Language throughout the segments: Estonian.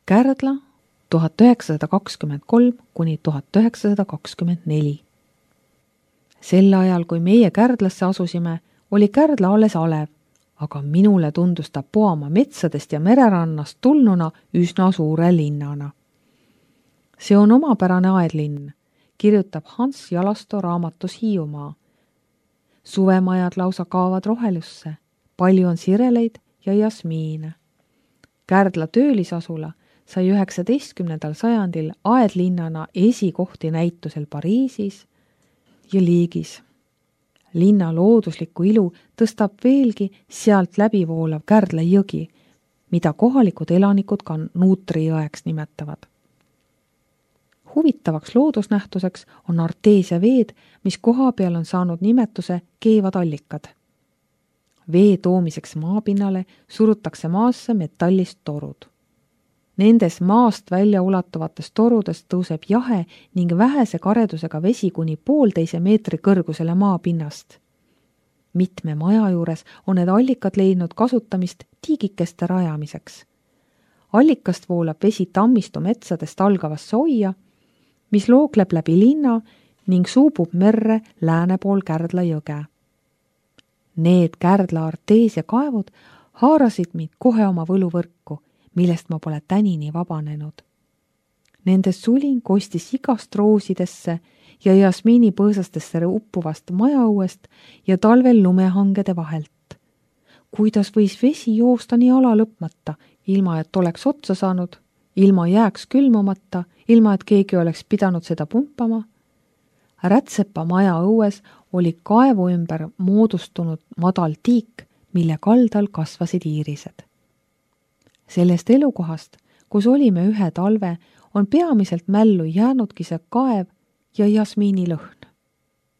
Kärdla 1923–1924. Sel ajal, kui meie Kärdlasse asusime, oli Kärdla alles alev, aga minule tundus ta Poamaa metsadest ja mererannast tulnuna üsna suure linnana. See on omapärane aedlinn, kirjutab Hans Jalasto raamatus Hiiumaa. Suvemajad lausa kaavad rohelusse, palju on sireleid ja jasmiine. Kärdla töölisasula sai 19. sajandil aedlinnana esikohti näitusel Pariisis ja Liigis. Linna looduslikku ilu tõstab veelgi sealt läbivoolav Kärdla jõgi, mida kohalikud elanikud ka Nuutri jõeks nimetavad. Huvitavaks loodusnähtuseks on arteesia veed, mis koha peal on saanud nimetuse keevad allikad. Vee toomiseks maapinnale surutakse maasse metallist torud. Nendes maast välja ulatuvates torudes tõuseb jahe ning vähese karedusega vesi kuni 1,5 meetri kõrgusele maapinnast. Mitme maja juures on need allikad leidnud kasutamist tiigikeste rajamiseks. Allikast voolab vesi Tammistu metsadest algavasse oia, mis lookleb läbi linna ning suubub merre lääne pool Kärdla jõge. Need Kärdla arteesia kaevud haarasid mind kohe oma võluvõrku, millest ma pole tänini vabanenud. Nende sulin kostis igast roosidesse ja jasmiinipõõsastesse uppuvast majaõuest ja talvel lumehangede vahelt. Kuidas võis vesi joosta nii ala lõpmata, ilma et oleks otsa saanud, ilma jääks külmumata, ilma et keegi oleks pidanud seda pumpama? Rätsepa maja õues oli kaevu ümber moodustunud madal tiik, mille kaldal kasvasid iirised. Sellest elukohast, kus olime ühe talve, on peamiselt mällu jäänudki see kaev ja jasmiinilõhn.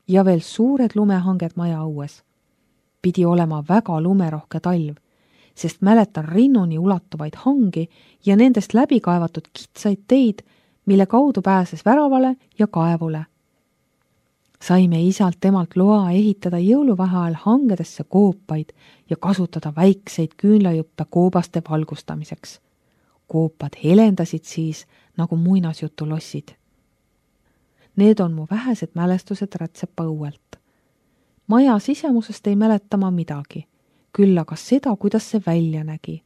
Ja veel suured lumehanged maja õues. Pidi olema väga lumerohke talv, sest mäletan rinnuni ulatuvaid hangi ja nendest läbi kaevatud kitsaid teid, mille kaudu pääses väravale ja kaevule. Saime isalt temalt loa ehitada jõuluvaheajal hangedesse koopaid ja kasutada väikseid küünlajuppe koobaste valgustamiseks. Koopad helendasid siis nagu muinasjutulossid. Need on mu vähesed mälestused Rätsepa õuelt. Maja sisemusest ei mäleta ma midagi, küll aga seda, kuidas see välja nägi.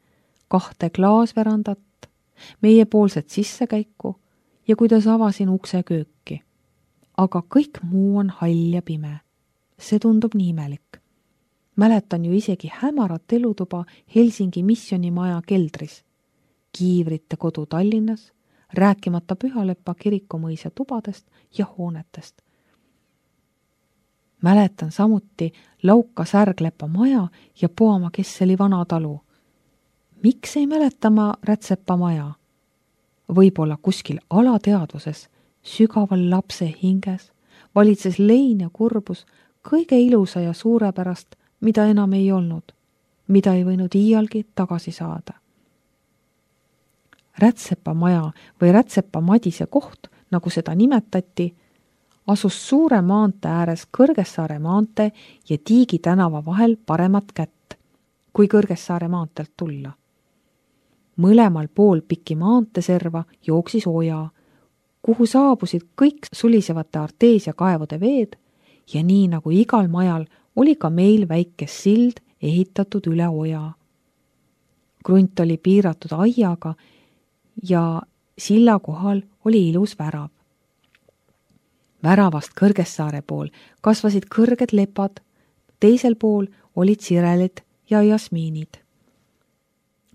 2 klaasverandat, meiepoolset sissekäiku ja kuidas avasin ukse kööki. Aga kõik muu on hall ja pime. See tundub nii imelik. Mäletan ju isegi hämarat elutuba Helsingi missionimaja keldris, Kiivrite kodu Tallinnas, rääkimata Pühalepa kirikumõisa tubadest ja hoonetest. Mäletan samuti Lauka Särglepa maja ja Poamaa Kesseli vana talu. Miks ei mäleta ma Rätsepa maja? Võib-olla kuskil alateadvuses, sügaval lapse hinges, valitses lein ja kurbus kõige ilusa ja suurepärast, mida enam ei olnud, mida ei võinud iialgi tagasi saada. Rätsepa maja või Rätsepa Madise koht, nagu seda nimetati, asus suure maantee ääres Kõrgessaare maantee ja Tiigi tänava vahel paremat kätt, kui Kõrgessaare maanteelt tulla. Mõlemal pool pikki maanteeserva jooksis oja, kuhu saabusid kõik sulisevate arteesia kaevude veed ja nii nagu igal majal oli ka meil väike sild ehitatud üle oja. Krunt oli piiratud aiaga ja silla kohal oli ilus värav. Väravast Kõrgessaare pool kasvasid kõrged lepad, teisel pool olid sirelid ja jasmiinid.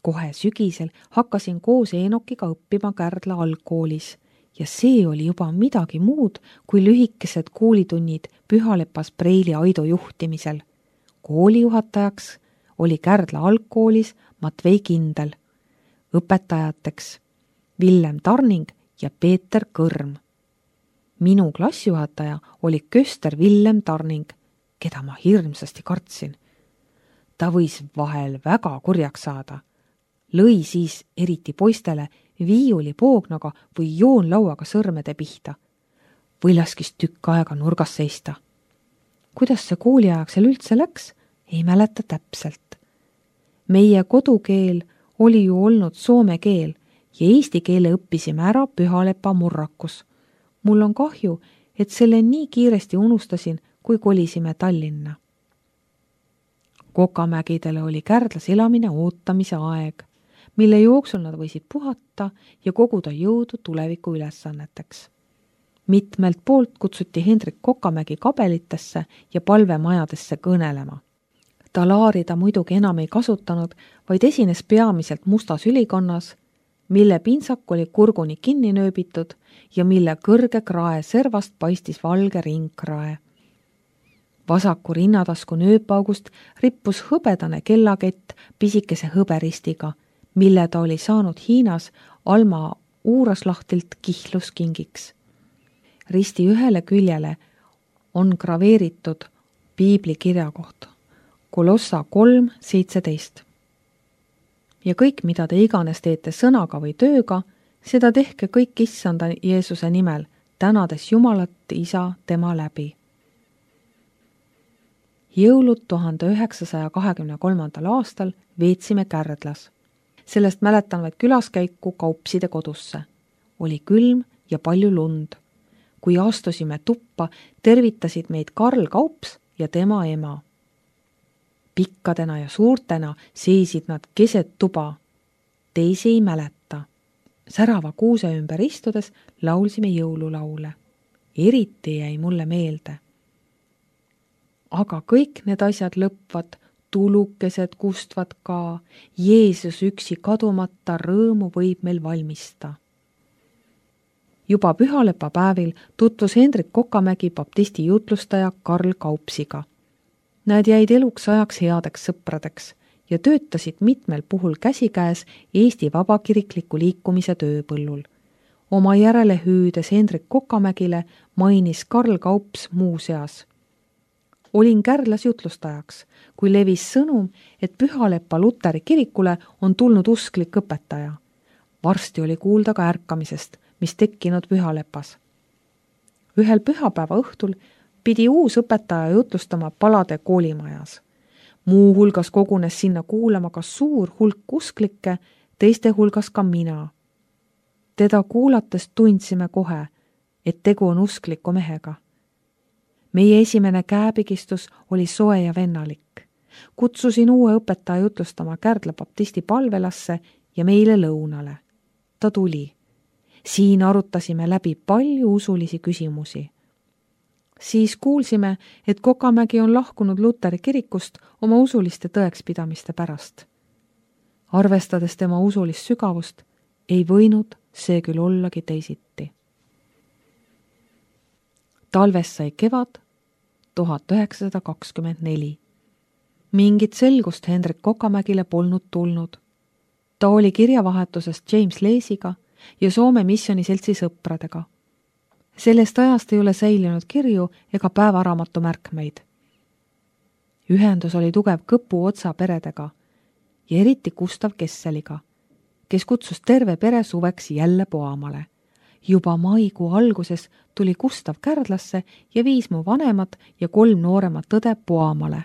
Kohe sügisel hakkasin koos Eenokiga õppima Kärdla algkoolis ja see oli juba midagi muud kui lühikesed koolitunnid Pühalepas Preili Aido juhtimisel. Koolijuhatajaks oli Kärdla algkoolis Matvei Kindel, õpetajateks Villem Tarning ja Peeter Kõrm. Minu klassijuhataja oli köster Villem Tarning, keda ma hirmsasti kartsin. Ta võis vahel väga kurjaks saada. Lõi siis eriti poistele viiuli poognaga või joonlauaga sõrmede pihta. Või laskis tükk aega nurgas seista. Kuidas see kooliajaksel üldse läks, ei mäleta täpselt. Meie kodukeel oli ju olnud soome keel ja eesti keele õppisime ära Pühalepa murrakus. Mul on kahju, et selle nii kiiresti unustasin, kui kolisime Tallinna. Kokamägidele oli Kärdlas elamine ootamise aeg, mille jooksul nad võisid puhata ja koguda jõudu tuleviku ülesanneteks. Mitmelt poolt kutsuti Hendrik Kokamägi kabelitesse ja palvemajadesse kõnelema. Talaari ta muidugi enam ei kasutanud, vaid esines peamiselt mustas ülikonnas, mille pintsak oli kurguni kinni nööbitud ja mille kõrge krae servast paistis valge ringkrae. Vasaku rinnatasku nööpaugust rippus hõbedane kellakett pisikese hõberistiga, mille ta oli saanud Hiinas Alma Uuraslahtilt kihluskingiks. Risti ühele küljele on graveeritud piibli kirjakoht Kolossa 3:17. Ja kõik, mida te iganes teete sõnaga või tööga, seda tehke kõik Issanda Jeesuse nimel, tänades Jumalat Isa tema läbi. Jõulud 1923. aastal veetsime Kärdlas. Sellest mäletan vaid külaskäiku Kaupside kodusse. Oli külm ja palju lund. Kui astusime tuppa, tervitasid meid Karl Kaups ja tema ema. Pikkadena ja suurtena seisid nad keset tuba. Teisi ei mäleta. Särava kuuse ümber istudes laulsime jõululaule. Eriti jäi mulle meelde. Aga kõik need asjad lõpvad, tulukesed kustvad ka, Jeesus üksi kadumata rõõmu võib meil valmista. Juba Pühalepa päevil tutvus Hendrik Kokamägi baptisti jutlustaja Karl Kaupsiga. Nad jäid eluks ajaks headeks sõpradeks ja töötasid mitmel puhul käsikäes Eesti vabakirikliku liikumise tööpõllul. Oma järele hüüdes Hendrik Kokamägile mainis Karl Kaups muuseas. Olin Kärdlas jutlustajaks, kui levis sõnum, et Pühalepa Luteri kirikule on tulnud usklik õpetaja. Varsti oli kuulda ka ärkamisest, mis tekkinud Pühalepas. Ühel pühapäeva õhtul pidi uus õpetaja jutlustama Palade koolimajas. Muu hulgas kogunes sinna kuulama ka suur hulk usklikke, teiste hulgas ka mina. Teda kuulates tundsime kohe, et tegu on uskliku mehega. Meie esimene käepigistus oli soe ja vennalik. Kutsusin uue õpetaja jutlustama Kärdla baptisti palvelasse ja meile lõunale. Ta tuli. Siin arutasime läbi palju usulisi küsimusi. Siis kuulsime, et Kokamägi on lahkunud Luteri kirikust oma usuliste tõekspidamiste pärast. Arvestades tema usulist sügavust, ei võinud see küll ollagi teisiti. Talves sai kevad 1924. Mingit selgust Hendrik Kokamägile polnud tulnud. Ta oli kirjavahetusest James Leesiga ja Soome missioniseltsi sõpradega. Sellest ajast ei ole säilinud kirju ega päevaraamatu märkmeid. Ühendus oli tugev Kõpu Otsa peredega ja eriti Gustav Kesseliga, kes kutsus terve pere suveks jälle Poamale. Juba maikuu alguses tuli Gustav Kärdlasse ja viis mu vanemad ja 3 nooremat õde Poamale.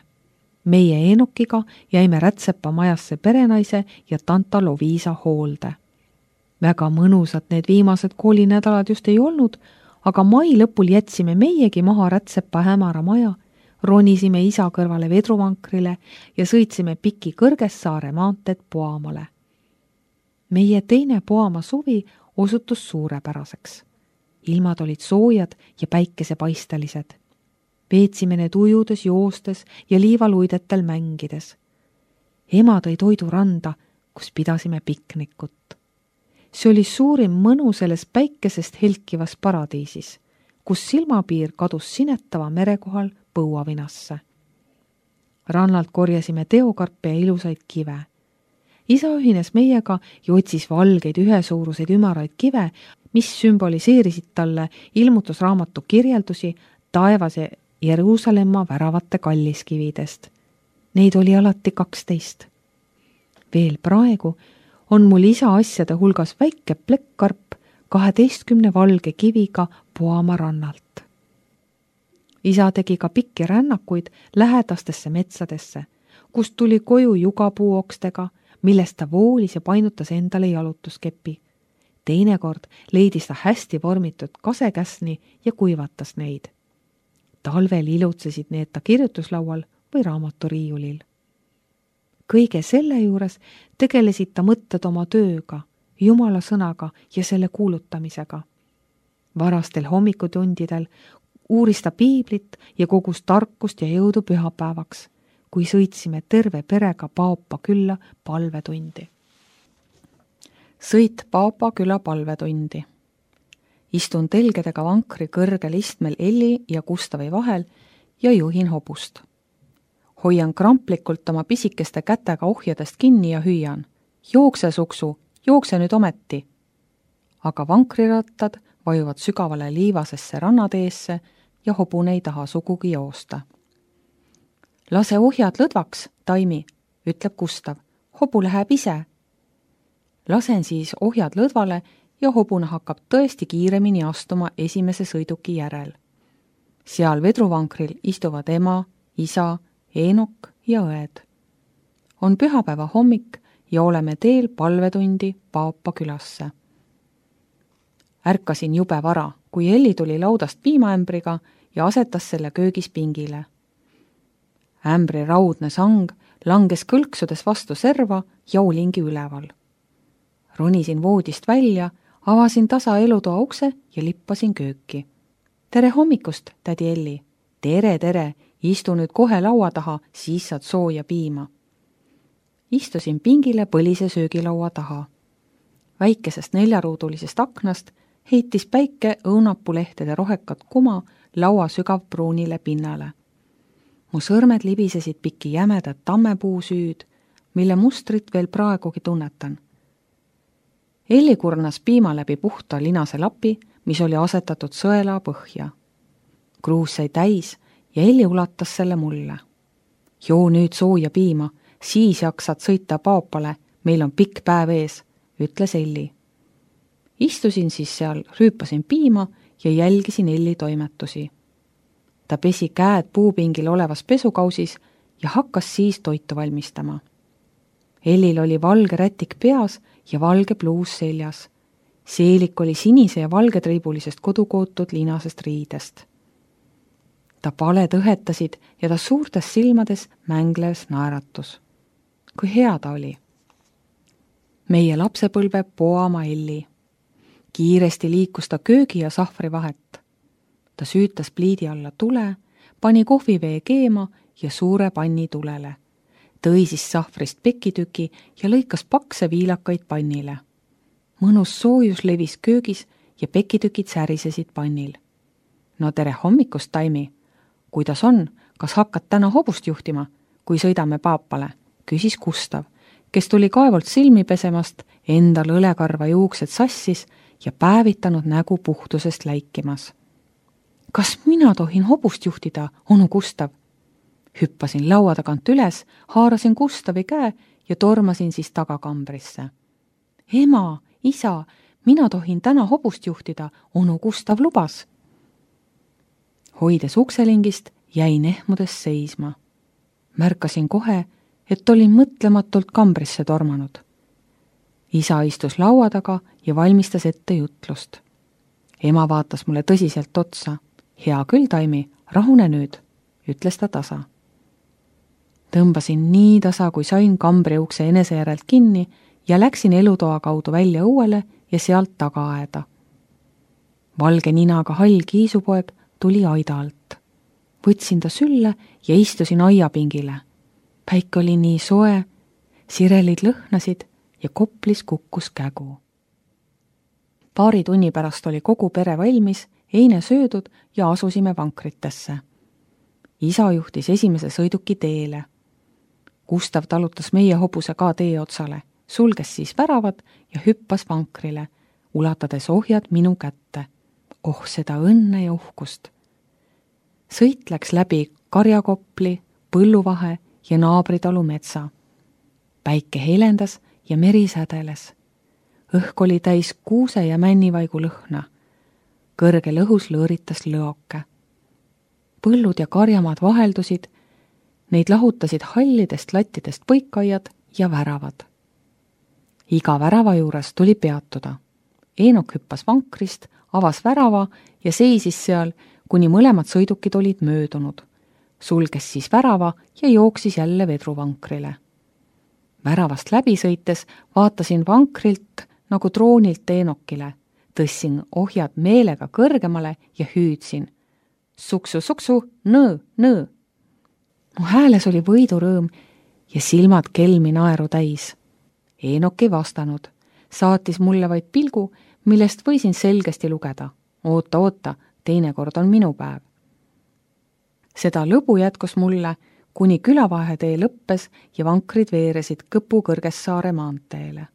Meie Enokiga jäime Rätsepa majasse perenaise ja tanta Loviisa hoolde. Väga mõnusad need viimased koolinädalad just ei olnud, aga mai lõpul jätsime meiegi maha Rätsepa hämara maja, ronisime isa kõrvale vedruvankrile ja sõitsime piki Kõrgessaare maanteed Poamale. Meie teine Poama suvi osutus suurepäraseks. Ilmad olid soojad ja päikesepaistelised. Veetsime need ujudes, joostes ja liivaluidetel mängides. Ema tõi toidu randa, kus pidasime piknikut. See oli suurim mõnu selles päikesest helkivas paradiisis, kus silmapiir kadus sinetava mere kohal põuavinasse. Rannalt korjasime teokarpe ja ilusaid kive. Isa ühines meiega ja otsis valgeid ühesuuruseid ümaraid kive, mis sümboliseerisid talle ilmutusraamatu kirjeldusi taevase Jeruusalemma väravate kalliskividest. Neid oli alati 12. Veel praegu on mul isa asjade hulgas väike plekkkarp 12 valge kiviga Poama rannalt. Isa tegi ka pikki rännakuid lähedastesse metsadesse, kust tuli koju jugapuuokstega, millest ta voolis ja painutas endale jalutuskepi, Teinekord leidis ta hästi vormitud kasekäsni ja kuivatas neid. Talvel ilutsesid need ta kirjutuslaual või raamaturiiulil. Kõige selle juures tegelesid ta mõtted oma tööga, Jumala sõnaga ja selle kuulutamisega. Varastel hommikutundidel uuris ta piiblit ja kogus tarkust ja jõudu pühapäevaks, kui sõitsime terve perega Paopa külla palvetundi. Sõit Paopa küla palvetundi. Istun telgedega vankri kõrgel istmel Elli ja Gustavi vahel ja juhin hobust. Hoian kramplikult oma pisikeste kätega ohjadest kinni ja hüüan. Jookse, suksu, jookse nüüd ometi. Aga vankrirattad vajuvad sügavale liivasesse rannateesse ja hobune ei taha sugugi joosta. Lase ohjad lõdvaks, Taimi, ütleb Gustav. Hobu läheb ise. Lasen siis ohjad lõdvale ja hobune hakkab tõesti kiiremini astuma esimese sõiduki järel. Seal vedruvankril istuvad ema, isa, Eenok ja õed. On pühapäeva hommik ja oleme teel palvetundi Paopa külasse. Ärkasin jube vara, kui Elli tuli laudast piimaämbriga ja asetas selle köögis pingile. Ämbri raudne sang langes kõlksudes vastu serva ja olingi üleval. Ronisin voodist välja, avasin tasa elutoa ukse ja lippasin kööki. Tere hommikust, tädi Elli. Tere, istu nüüd kohe laua taha, siis saad sooja piima. Istusin pingile põlise söögilaua taha. Väikesest 4-ruudulisest aknast heitis päike õunapulehtede rohekat kuma laua sügavpruunile pinnale. Mu sõrmed libisesid piki jämedat tammepuusüüd, mille mustrit veel praegugi tunnetan. Elli kurnas piima läbi puhta linase lapi, mis oli asetatud sõela põhja. Kruus sai täis ja Elli ulatas selle mulle. Joo nüüd sooja piima, siis jaksad sõita Paopale, meil on pikk päev ees, ütles Elli. Istusin siis seal, rüüpasin piima ja jälgisin Elli toimetusi. Ta pesi käed puupingil olevas pesukausis ja hakkas siis toitu valmistama. Ellil oli valge rätik peas ja valge pluus seljas. Seelik oli sinise ja valgetriibulisest kodukootud linasest riidest. Ta paled õhetasid ja ta suurtes silmades mängles naeratus. Kui hea ta oli. Meie lapsepõlve poama Elli. Kiiresti liikus ta köögi ja sahvri vahet. Ta süütas pliidi alla tule, pani kohvivee keema ja suure panni tulele. Tõi siis sahvrist pekitüki ja lõikas pakse viilakaid pannile. Mõnus soojus levis köögis ja pekitükid särisesid pannil. No tere hommikust, Taimi! Kuidas on, kas hakkad täna hobust juhtima, kui sõidame Paopale? Küsis Gustav, kes tuli kaevult silmi pesemast, endal õlekarva juuksed sassis ja päevitanud nägu puhtusest läikimas. Kas mina tohin hobust juhtida, onu Gustav? Hüppasin laua tagant üles, haarasin Gustavi käe ja tormasin siis tagakambrisse. Ema, isa, mina tohin täna hobust juhtida, onu Gustav lubas. Hoides ukselingist jäin ehmudes seisma. Märkasin kohe, et olin mõtlematult kambrisse tormanud. Isa istus laua taga ja valmistas ette jutlust. Ema vaatas mulle tõsiselt otsa. Hea küll, Taimi, rahune nüüd, ütles ta tasa. Tõmbasin nii tasa, kui sain kambri ukse enese järelt kinni ja läksin elutoa kaudu välja õuele ja sealt tagaaeda. Valge ninaga hall kiisupoeg tuli aida alt. Võtsin ta sülle ja istusin aiapingile. Päike oli nii soe, sirelid lõhnasid ja koplis kukkus kägu. Paari tunni pärast oli kogu pere valmis, eine söödud ja asusime vankritesse. Isa juhtis esimese sõiduki teele. Gustav talutas meie hobuse ka tee otsale, sulges siis väravad ja hüppas vankrile, ulatades ohjad minu kätte. Oh, seda õnne ja uhkust! Sõit läks läbi Karjakopli, Põlluvahe ja naabritalu metsa. Päike helendas ja meri sädeles. Õhk oli täis kuuse ja männivaigu lõhna. Kõrgel õhus lõõritas lõoke. Põllud ja karjamaad vaheldusid, neid lahutasid hallidest lattidest põikaiad ja väravad. Iga värava juures tuli peatuda. Eenok hüppas vankrist, avas värava ja seisis seal, kuni mõlemad sõidukid olid möödunud. Sulges siis värava ja jooksis jälle vedruvankrile. Väravast läbi sõites vaatasin vankrilt nagu troonilt Eenokile, tõssin ohjad meelega kõrgemale ja hüüdsin. Suksu, suksu, nõõ, nõõ. Mu hääles oli võidurõõm ja silmad kelmi naeru täis. Eenok ei vastanud, saatis mulle vaid pilgu, millest võisin selgesti lugeda. Oota, oota, teinekord on minu päev. Seda lõbu jätkus mulle, kuni külavahetee lõppes ja vankrid veeresid Kõpu Kõrgessaare maanteele.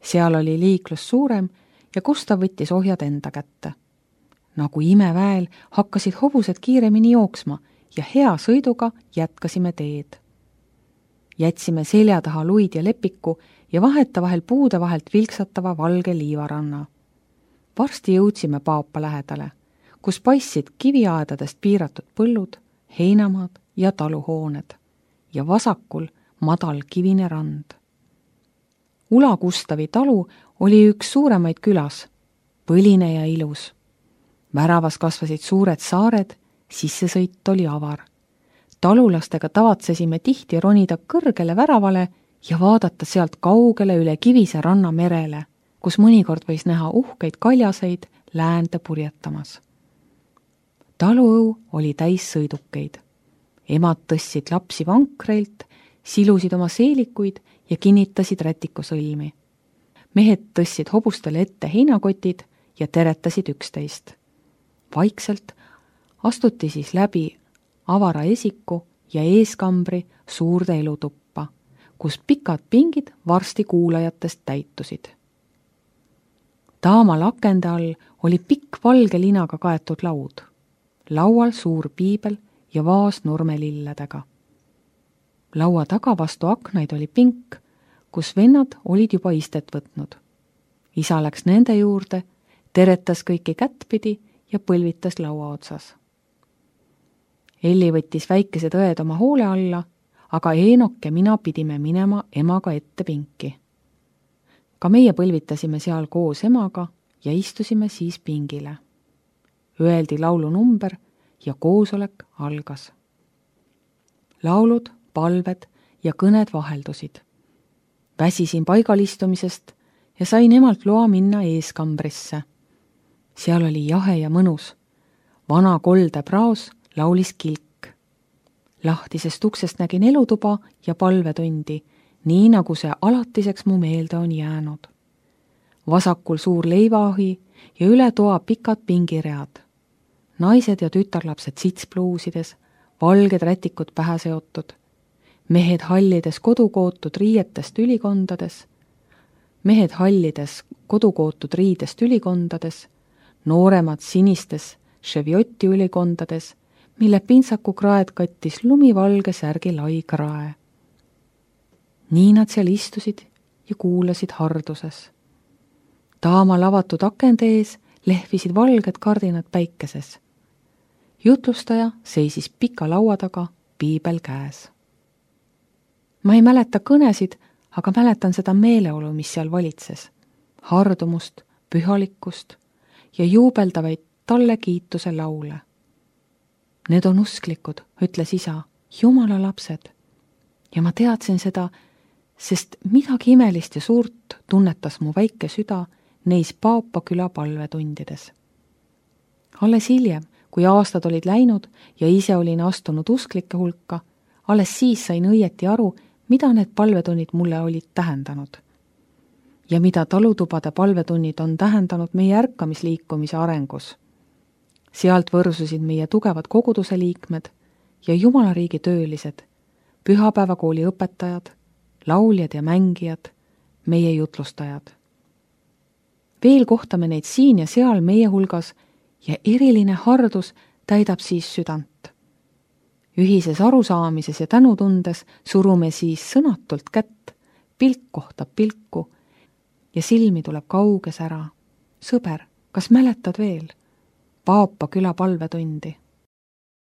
Seal oli liiklus suurem ja Gustav võttis ohjad enda kätte. Nagu imeväel hakkasid hobused kiiremini jooksma ja hea sõiduga jätkasime teed. Jätsime selja taha luid ja lepiku ja vahetavahel puude vahelt vilksatava valge liivaranna. Varsti jõudsime Paapa lähedale, kus paistsid kiviaedadest piiratud põllud, heinamaad ja taluhooned ja vasakul madal kivine rand. Ula Gustavi talu oli üks suuremaid külas, põline ja ilus. Väravas kasvasid suured saared, sissesõit oli avar. Talulastega tavatsesime tihti ronida kõrgele väravale ja vaadata sealt kaugele üle kivise ranna merele, kus mõnikord võis näha uhkeid kaljaseid läände purjetamas. Taluõu oli täis sõidukeid. Emad tõstsid lapsi vankreilt, silusid oma seelikuid ja kinnitasid rätikusõlmi. Mehed tõstsid hobustele ette heinakotid ja teretasid üksteist. Vaikselt astuti siis läbi avara esiku ja eeskambri suurde elutuppa, kus pikad pingid varsti kuulajatest täitusid. Taamal akende all oli pikk valge linaga kaetud laud. Laual suur piibel ja vaas nurmelilledega. Laua taga vastu aknaid oli pink, kus vennad olid juba istet võtnud. Isa läks nende juurde, teretas kõiki kättpidi ja põlvitas laua otsas. Elli võttis väikesed õed oma hoole alla, aga Eenok ja mina pidime minema emaga ette pinki. Ka meie põlvitasime seal koos emaga ja istusime siis pingile. Öeldi laulu number ja koosolek algas. Laulud, palved ja kõned vaheldusid. Väsisin paigalistumisest ja sain emalt loa minna eeskambrisse. Seal oli jahe ja mõnus. Vana kolde praos laulis kilk. Lahtisest uksest nägin elutuba ja palvetundi, nii nagu see alatiseks mu meelde on jäänud. Vasakul suur leivaahi ja üle toa pikad pingiread. Naised ja tütarlapsed sitspluusides, valged rätikud pähe seotud, mehed hallides kodukootud riietest ülikondades, nooremad sinistes ševjoti ülikondades, mille pintsaku kraed kattis lumivalge särgi lai krae. Nii nad seal istusid ja kuulasid harduses. Taamal avatud akende ees lehvisid valged kardinad päikeses. Jutlustaja seisis pika laua taga, piibel käes. Ma ei mäleta kõnesid, aga mäletan seda meeleolu, mis seal valitses. Hardumust, pühalikkust ja juubeldavaid talle kiituse laule. Need on usklikud, ütles isa, Jumala lapsed. Ja ma teadsin seda, sest midagi imelist ja suurt tunnetas mu väike süda neis Paapa küla palvetundides. Alles hiljem, kui aastad olid läinud ja ise olin astunud usklike hulka, alles siis sain õieti aru, mida need palvetunnid mulle olid tähendanud. Ja mida talutubade palvetunnid on tähendanud meie ärkamisliikumise arengus. Sealt võrsusid meie tugevad koguduse liikmed ja Jumalariigi töölised, pühapäevakooli õpetajad, lauljad ja mängijad, meie jutlustajad. Veel kohtame neid siin ja seal meie hulgas ja eriline hardus täidab siis südant. Ühises arusaamises ja tänutundes surume siis sõnatult kätt, pilk kohtab pilku ja silmi tuleb kauges ära. Sõber, kas mäletad veel? Paapa küla palvetundi.